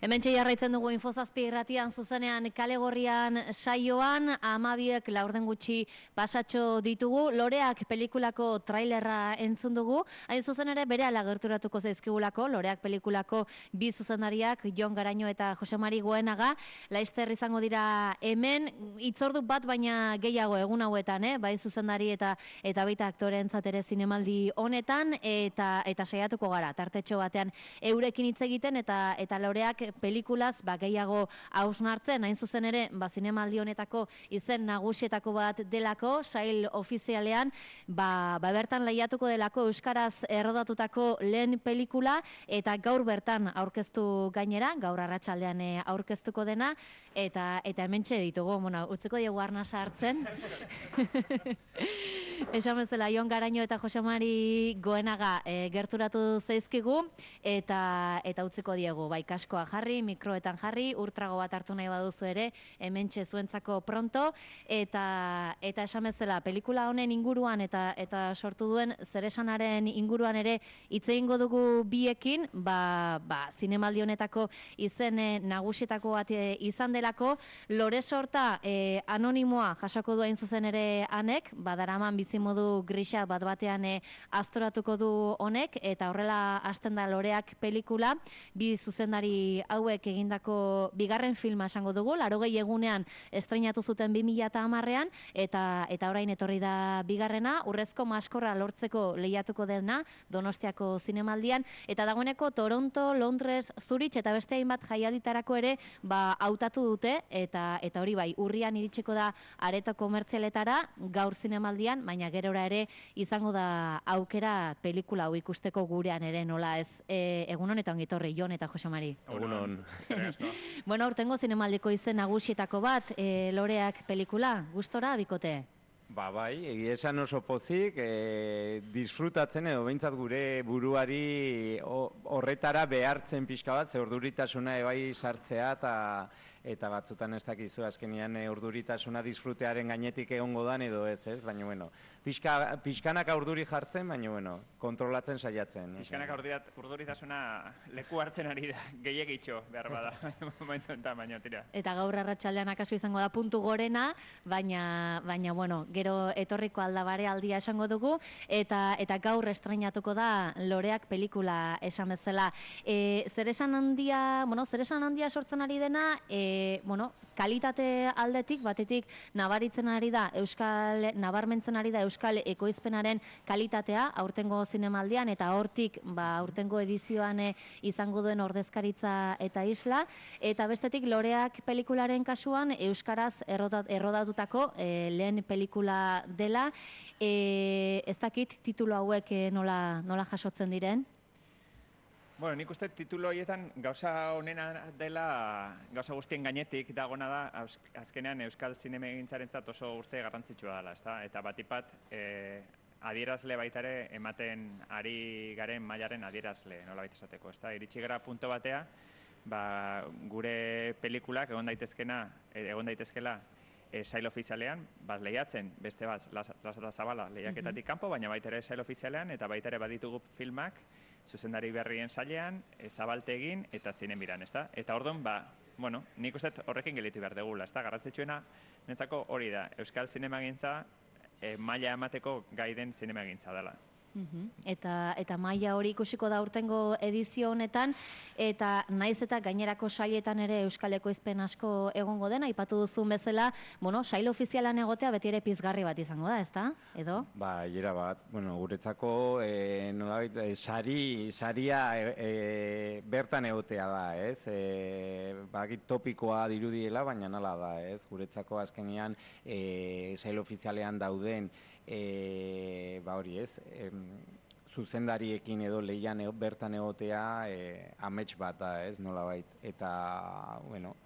Hementxe jarraitzen dugu Infozazpi irratian zuzenean kalegorrian saioan, 12 laurden gutxi pasatxo ditugu, Loreak pelikulako trailerra entzun dugu, hain zuzen ere berehala gerturatuko zaizkigulako, Loreak pelikulako bi zuzendariak, Jon Garaño eta Jose Mari Goenaga, laizter izango dira hemen, hitzordu bat baina gehiago egun hauetan, bai zuzendari eta baita aktoreentzat ere zinemaldi honetan, eta saiatuko gara, tartetxo batean eurekin hitz egiten eta Loreak pelikulaz gehiago hausnartzen, hain zuzen ere zinemaldi honetako izen nagusietako bat delako, sail ofizialean bertan lehiatuko delako euskaraz errodatutako lehen pelikula eta gaur bertan aurkeztu gainera, gaur arratsaldean aurkeztuko dena eta hementxe ditugu, utziko diegu arnasa hartzen. Esan bezala, Jon Garaño eta Jose Mari Goenaga gerturatu zaizkigu eta utziko diegu, bai kaskoa jarri, mikroetan jarri, urtrago bat hartu nahi baduzu ere, hementxe zuentzako pronto, eta esan bezala, pelikula honen inguruan eta sortu duen zeresanaren inguruan ere hitz egingo dugu biekin, zinemaldi honetako izen nagusietako bat izan delako, Lore Sorta anonimoa jasoko du hain zuzen ere anek, daraman bizimodu grisa bat batean aztoratuko du honek, eta horrela hasten da Loreak pelikula, bi zuzendari hauek egindako bigarren filma esango dugu, 80 egunean estreinatu zuten 2010ean, eta orain etorri da bigarrena, Urrezko Maskorra lortzeko lehiatuko dena, Donostiako zinemaldian, eta dagoeneko Toronto, Londres, Zurich eta beste hainbat jaialditarako ere hautatu dute, eta hori bai, urrian iritsiko da areto komertzialetara, gaur zinemaldian, baina gerora ere izango da aukera pelikula hau ikusteko gurean ere nola ez. Egunon eta ongitorri, Jon eta Jose Mari. Egunon. Bueno, aurtengo zinemaldiko izen nagusietako bat, Loreak pelikula, gustora bikote? Bai, egia esan oso pozik, disfrutatzen edo behintzat gure buruari horretara behartzen pixka bat, ze urduritasuna bai sartzea eta batzutan ez dakizu azkenian urduritasuna disfrutearen gainetik egongo dan edo ez, baina pixkanaka urduri jartzen, baina kontrolatzen saiatzen. Pixkanaka urduritasuna leku hartzen ari da, gehiagitxo behar bada, momentu enten baina tira. Eta gaur arratsaldean akaso izango da puntu gorena, baina gero etorriko aldabare aldia esango dugu, eta gaur estreinatuko da Loreak pelikula esan bezala. Zeresan handia sortzen ari dena, kalitate aldetik, batetik nabarmentzen ari da euskal ekoizpenaren kalitatea, aurtengo zinemaldian, eta hortik aurtengo edizioan izango duen ordezkaritza eta isla, eta bestetik Loreak pelikularen kasuan euskaraz errodatutako lehen pelikula dela, ez dakit titulu hauek nola jasotzen diren? Bueno, nik uste titulo horietan gauza honena dela, gauza guztien gainetik dagona da, azkenean euskal zinemegintzarentzat oso urte garrantzitsua dela, eta batipat adierazle baitare ematen ari garen mailaren adierazle, nola baita esateko, iritsi gara punto batea, gure pelikulak egon daitezkela sail ofizialean, lehiatzen, beste Lasata Zabala lehiaketatik kanpo, baina baita ere sail ofizialean, eta baita ere baditugu filmak, zuzendari berrien sailean, zabaltegin eta zinemiran, Eta orduan, nik uste horrekin gelitu behar degula, garrantzitsuena, nintzako hori da, euskal zinemagintza maila emateko gai den zinemagintza dela. Eta maila hori ikusiko da urtengo edizio honetan, eta naiz eta gainerako sailetan ere euskal ekoizpen asko egongo dena, aipatu duzun bezala, sail ofizialan egotea beti ere pizgarri bat izango da, ezta? Edo? Era bat, guretzako nolabait saria bertan egotea da, ez? Bakit topikoa dirudiela, baina nala da, ez? Guretzako azkenean sail ofizialean dauden hori, ez? Zuzendariekin edo lehian bertan egotea amets bat da, ez, nolabait. Eta,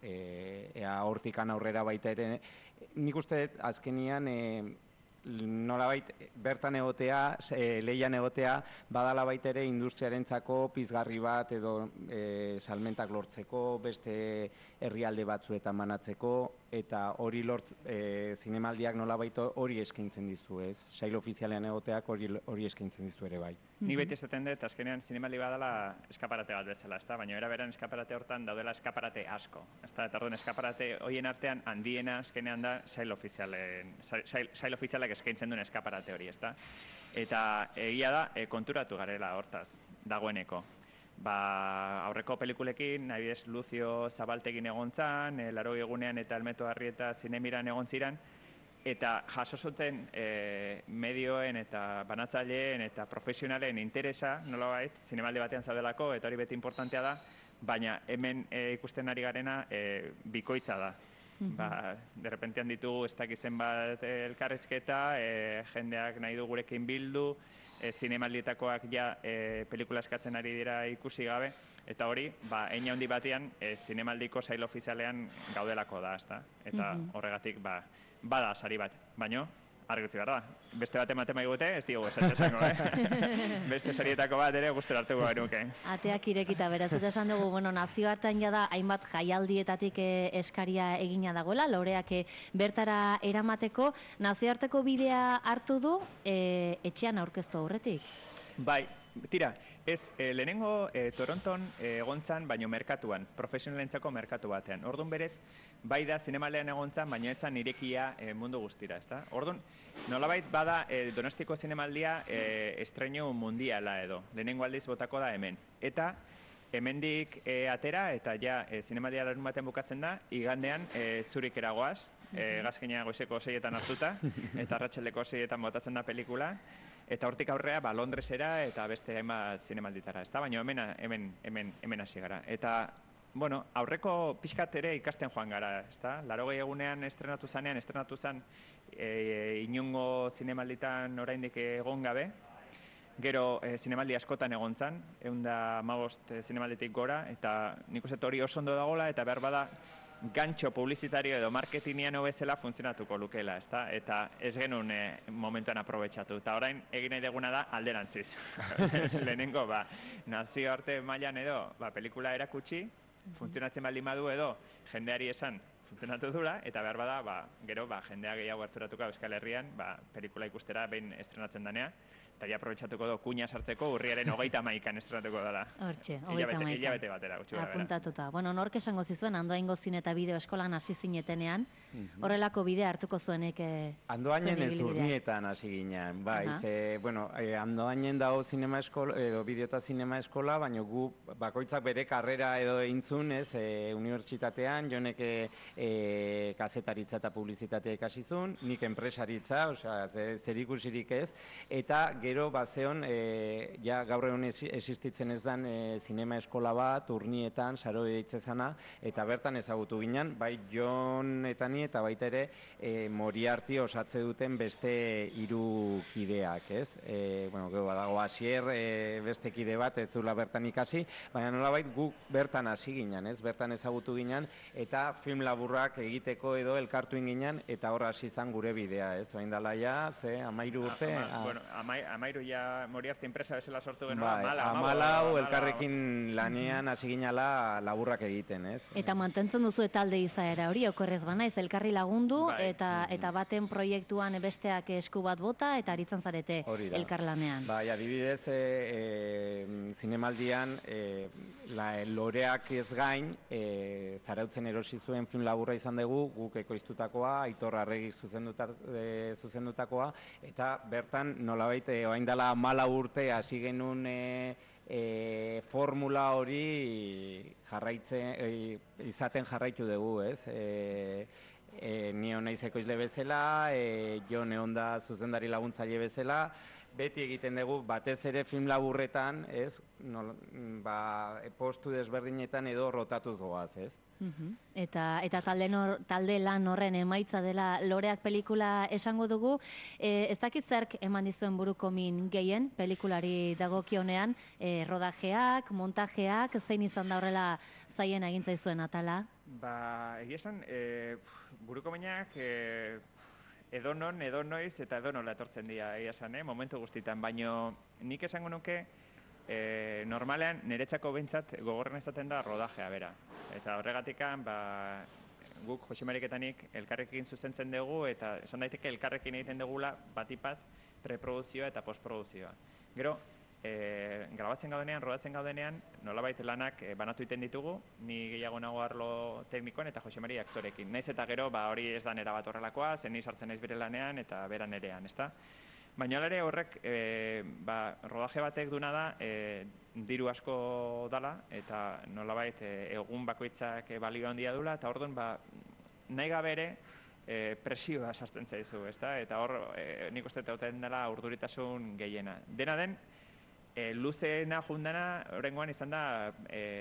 ea hortikan aurrera baita ere, nik uste azkenian nolabait bertan egotea, lehian egotea, badala baita ere industriarentzako pizgarri bat edo salmentak lortzeko, beste herrialde batzuetan banatzeko, eta hori zinemaldiak nolabait hori eskaintzen dizu, ez? Sail ofizialean egoteak hori eskaintzen dizu ere bai. Ni beti esaten dut, azkenean zinemaldi badala eskaparate bat bezala, ezta? Baina era beran eskaparate hortan daudela eskaparate asko. Ezta? Eta orduan eskaparate hoien artean handiena azkenean da sail ofizialak eskaintzen duen eskaparate hori, ezta? Eta egia da, konturatu garela hortaz, dagoeneko. Aurreko pelikulekin, adibidez Lucio Zabaltegin egon zan, 80 egunean eta Elmeto Arrieta Zinemiran egon ziren, eta jaso zuten medioen eta banatzaileen eta profesionalen interesa, nolabait, zinemaldi batean zaudelako, eta hori beti importantea da, baina hemen ikusten ari garena bikoitza da. Derrepentean ditugu ez dakizen bat elkarrezketa, jendeak nahi du gurekin bildu, zinemaldietakoak ja pelikula eskatzen ari dira ikusi gabe, eta hori, hein handi batean, zinemaldiko sail ofizialean gaudelako da, ezta? Eta horregatik, bada sari bat, baino, argitzi behar da. Beste bat ematen maigute, ez diogu esango, Beste sarietako bat ere guztera hartuko genuke. Ateak irekita, beraz, eta esan dugu, nazioartean jada hainbat jaialdietatik eskaria egina dagoela, loreak bertara eramateko, nazioarteko bidea hartu du etxean aurkeztu aurretik? Bai, tira, lehenengo Toronton egontzan, baino merkatuan, profesionalentzako merkatu batean. Orduan berez, bai da zinemalean egontzan, baino etzan irekia mundu guztira, ezta? Orduan, nolabait bada Donostiko zinemaldia estreinu mundiala edo. Lehenengo aldiz botako da hemen. Eta hemendik atera eta ja zinemaldia larun batean bukatzen da, igandean zurik eragoaz, gazkina goizeko 6etan hartuta, eta arratsaldeko 6etan botatzen da pelikula, eta hortik aurrea Londresera eta beste hainbat zinemalditara, ezta? Baina hemen hasi gara. Eta, bueno, aurreko pixkat ere ikasten joan gara, ezta? 80 egunean estrenatu zan inongo zinemalditan oraindik egon gabe, gero zinemaldi askotan egon zan, 115 zinemalditik gora, eta nik uste hori oso ondo dagoela, eta behar bada gantxo publizitario edo marketingian bezala funtzionatuko lukeela, ezta? Eta ez genuen momentuan aprobetxatu. Eta orain egin nahi deguna da alderantziz. Lehenengo, nazioarte mailan edo, pelikula erakutsi, funtzionatzen baldin badu edo, jendeari esan funtzionatu dula, eta behar bada, gero, jendea gehiago harturatuko Euskal Herrian, pelikula ikustera behin estrenatzen danea, eta ja aprobetxatuko do, kuña sartzeko urriaren 31an estrenatuko dela. Hortxe, 31an. Hilabete batera, gutxi gara. Apuntatuta. Bueno, nork esango zizuen, Andoaingo zine eta bideo eskolan hasi zinetenean, horrelako bidea hartuko zuenek Andoainen ez urnietan hasi ginen, bai. Andoainen dago zinema eskola, edo bideo eta zinema eskola, baina gu bakoitzak bere karrera edo eintzun, unibertsitatean, jonek kazetaritza eta publizitatea ikasizun, nik enpresaritza, zer ikusirik ez, eta gero bazeon, gaur egun existitzen ez dan zinema eskola bat, urnietan, saro deitzezana, eta bertan ezagutu ginen, bai Jon eta ni, eta baita ere Moriarty osatze duten beste 3 kideak, ez? Gero badago Asier, beste kide bat, ez zula bertan ikasi, baina nolabait guk bertan hasi ginen, ez? Bertan ezagutu ginen, eta film laburrak egiteko edo elkartu ginen, eta hor hasi izan gure bidea, ez? Oain dala ja, 13 urte. Amairu ja Moriarty enpresa bezala sortu genuen, Amalau elkarrekin lanean hasi ginala laburrak egiten, ez? Eta mantentzen duzu talde izaera hori, okorrez banaiz, elkarri lagundu, eta baten proiektuan besteak esku bat bota, eta aritzen zarete elkarlanean. Bai, adibidez, zinemaldian, loreak ez gain, Zarautzen erosi zuen film laburra izan dugu, guk ekoiztutakoa, Aitor Arregik zuzendutakoa, eta bertan nolabait orain dela 14 urte hasi genuen formula hori izaten jarraitu dugu, ez? Ni naiz ekoizle bezala, Jon egon da zuzendari laguntzaile bezala, beti egiten dugu batez ere film laburretan, ez? Postu desberdinetan edo rotatuz goaz, ez? Eta talde lan horren emaitza dela loreak pelikula esango dugu. Ez dakit zerk eman dizuen buruko min gehien pelikulari dagokionean, rodajeak, montajeak, zein izan da horrela zaien egintzaizuen atala? Egia esan, buruko minak edonon, edonoiz eta edonola etortzen dira, egia esan, momentu guztitan, baino nik esango nuke normalean niretzako behintzat gogorren ezaten da rodajea bera. Eta horregatikan, guk Jose Mariketanik elkarrekin zuzentzen dugu eta esan daiteke elkarrekin egiten dugula batipat preproduzioa eta postproduzioa. Gero, grabatzen gaudenean, rodatzen gaudenean, nolabait lanak banatu iten ditugu, ni gehiago nago arlo teknikoan eta Jose Mari aktorekin. Naiz eta gero, hori ez da nera bat horrelakoa, zen ni sartzen naiz bere lanean eta bera nerean, ezta? Baina ere horrek, rodaje batek duna da, diru asko dala, eta nolabait egun bakoitzak balio handia dula, eta orduan, nahi gabe ere, presioa sartzen zaizu, ezta? Eta hor, nik uste teuten dela urduritasun gehiena. Dena den, luzeena jundana, horrengoan izan da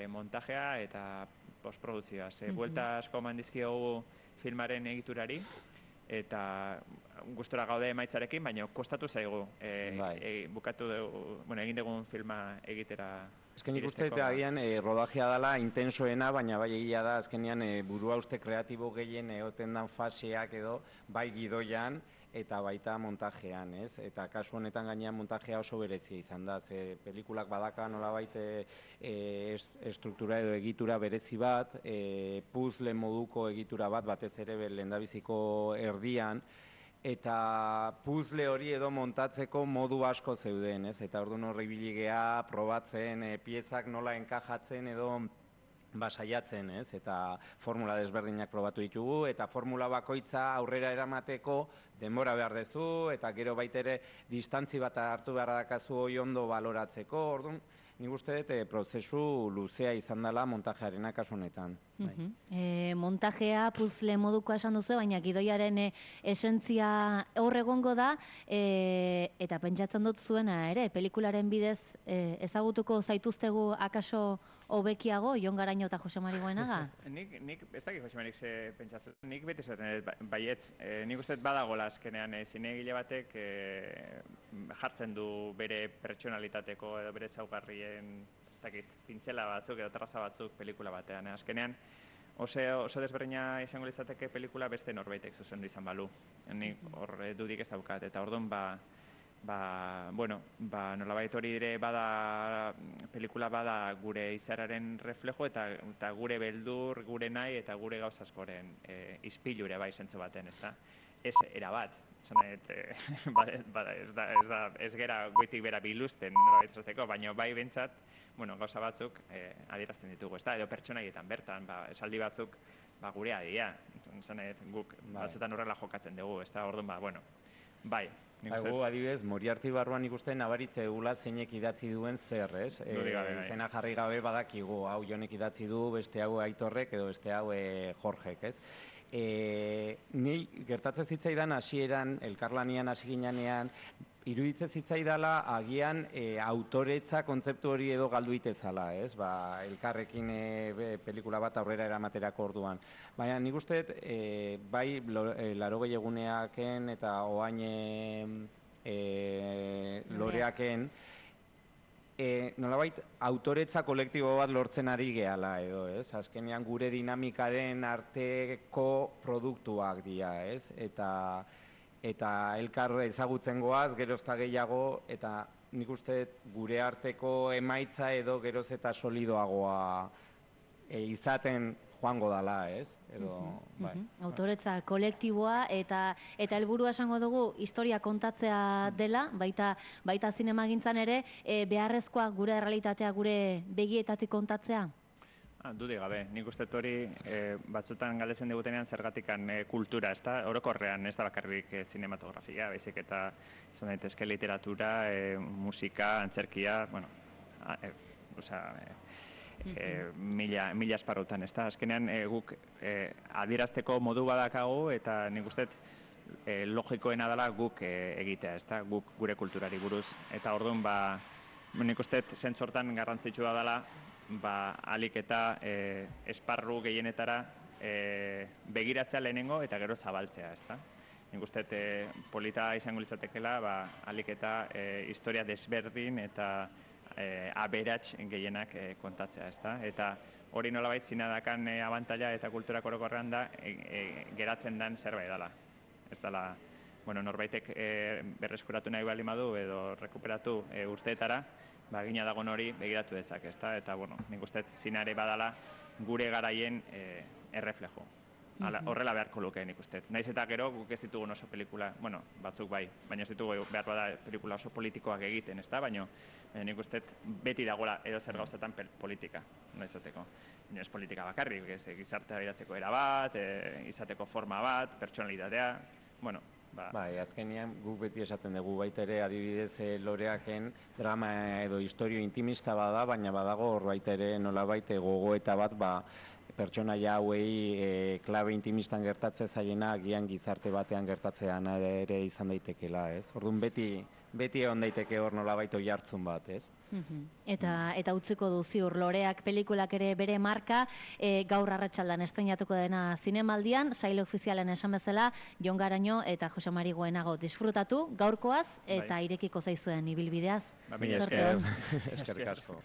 montajea eta postproduzioa. Buelta asko eman dizkiogu filmaren egiturari, eta gustora gaude emaitzarekin, baina kostatu zaigu bukatu dugu, egin dugun filma egitera. Azken ikuste eta agian rodajea dela intensoena, baina bai egia da azkenean burua uste kreatibo gehien egoten dan faseak edo bai gidoian eta baita montajean, ez? Eta kasu honetan gainean montajea oso berezia izan da, ze pelikulak badaka nolabait estruktura edo egitura berezi bat, puzzle moduko egitura bat, batez ere lehendabiziko erdian, eta puzzle hori edo montatzeko modu asko zeuden, ez? Eta orduan horri biligea, probatzen, piezak nola enkajatzen edo saiatzen, ez? Eta formula desberdinak probatu ditugu, eta formula bakoitza aurrera eramateko denbora behar dezu, eta gero baitere distantzi bat hartu behar dakazu hori ondo baloratzeko, orduan, nik uste dut prozesu luzea izan dela montajearena kasu honetan. Montajea puzzle moduko esan duzu, baina gidoiaren esentzia hor egongo da, eta pentsatzen dut zuena ere, pelikularen bidez ezagutuko zaituztegu akaso hobekiago, Jon Garaño eta Jose Mari Goenaga? Nik, ez dakit Jose Marik ze pentsatzen, nik beti zaten baietz, nik uste badagola azkenean zinegile batek jartzen du bere pertsonalitateko edo bere zaugarrien, ez dakit, pintzela batzuk edo traza batzuk pelikula batean. Azkenean oso desberdina izango litzateke pelikula beste norbaitek zuzendu izan balu. Nik hor dudik ez daukat, eta orduan nolabait hori ere pelikula bada gure izararen reflejo eta gure beldur, gure nahi eta gure gauz askoren izpilure bai zentzu baten, ez da? Ez erabat, ez gera goitik bera biluzten nolabait esateko, baina bai bentsat, gauza batzuk adierazten ditugu, ez da? Edo pertsonaietan bertan, esaldi batzuk gurea dira, guk batzutan horrela jokatzen dugu, ez da? Orduan, bai. Gu, adibidez, Moriarty barruan ikusten nabaritze egula zeinek idatzi duen zer, ez? Izena jarri gabe badakigu, hau Jonek idatzi du, beste hau Aitorrek edo beste hau Jorgek, ez? Ni gertatzen zitzaidan hasieran, elkarlanian hasi ginean, iruditzen zitzaidala agian autoretza kontzeptu hori edo galdu itezala, ez? Elkarrekin pelikula bat aurrera eramaterako orduan. Baina nik uste bai 80 eguneaken eta oain loreaken nolabait autoretza kolektibo bat lortzen ari gehala edo, ez? Azkenean gure dinamikaren arteko produktuak dira, ez? Eta elkar ezagutzen goaz, geroz eta gehiago, eta nik uste gure arteko emaitza edo geroz eta solidoagoa izaten joango dala, ez? Autoretza kolektiboa eta helburua esango dugu historia kontatzea dela, baita zinemagintzan ere, beharrezkoa gure errealitatea gure begietatik kontatzea? Dudik gabe, nik uste hori batzutan galdetzen digutenean zergatikan kultura, ez da, orokorrean ez da bakarrik zinematografia, baizik eta izan daitezke literatura, musika, antzerkia, mila esparrutan, ez da, azkenean guk adierazteko modu badakagu eta nik uste logikoena dela guk egitea, ez da, guk gure kulturari buruz, eta orduan nik uste zentzortan garrantzitsua dela alik eta esparru gehienetara begiratzea lehenengo eta gero zabaltzea, ezta? Nik uste polita izango litzatekela alik eta historia desberdin eta aberats gehienak kontatzea, ezta? Eta hori nolabait zinadakan abantaila eta kulturak orokorrean da geratzen den zerbait dela. Ez dela, norbaitek berreskuratu nahi bali madu edo rekuperatu urteetara, gina dagoen hori begiratu dezak, ezta? Eta, nik uste zinare badala gure garaien erreflejo. Horrela beharko luke nik uste. Naiz eta gero guk ez ditugun oso pelikula, bueno, batzuk bai, baina ez ditugu behar bada pelikula oso politikoak egiten, ez da? Baina nik uste beti dagoela edo zer gauzatan politika, noitzoteko. Ez politika bakarrik, ez gizartea biratzeko era bat, izateko forma bat, pertsonalitatea, bueno, Bai, azkenean guk beti esaten dugu baita ere adibidez loreaken drama edo historio intimista bada, baina badago hor baita ere nolabait gogoeta bat pertsonaia hauei klabe intimistan gertatzen zaiena agian gizarte batean gertatzean ere izan daitekela, ez? Orduan beti egon daiteke hor nolabait oihartzun bat, ez? Eta utziko du ziur loreak pelikulak ere bere marka, gaur arratsaldan estreinatuko dena zinemaldian, sail ofizialen esan bezala, Jon Garaño eta Jose Mari Goenago disfrutatu gaurkoaz eta irekiko zaizuen ibilbideaz. Eskerrik asko.